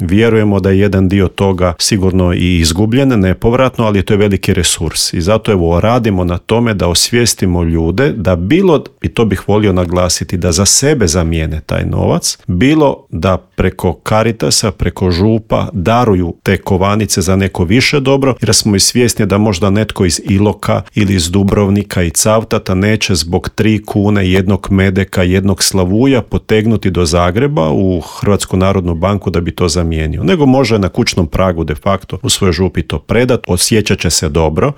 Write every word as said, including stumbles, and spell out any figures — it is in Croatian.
Vjerujemo da je jedan dio toga sigurno i izgubljen, nepovratno, ali to je veliki resurs. I zato evo radimo na tome da osvijestimo ljude da bilo, i to bih volio naglasiti, da za sebe zamijene taj novac, bilo da preko Caritasa, preko župa daruju te kovanice za neko više dobro, jer smo i svjesni da možda netko iz Iloka ili iz Dubrovnika i Cavtata neće zbog tri kune, jednog medeka, jednog slavuja potegnuti do Zagreba u Hrvatsku narodnu banku da bi to zamijenio. Nego može na kućnom pragu de facto u svojoj župi to predat, osjećat će se dobro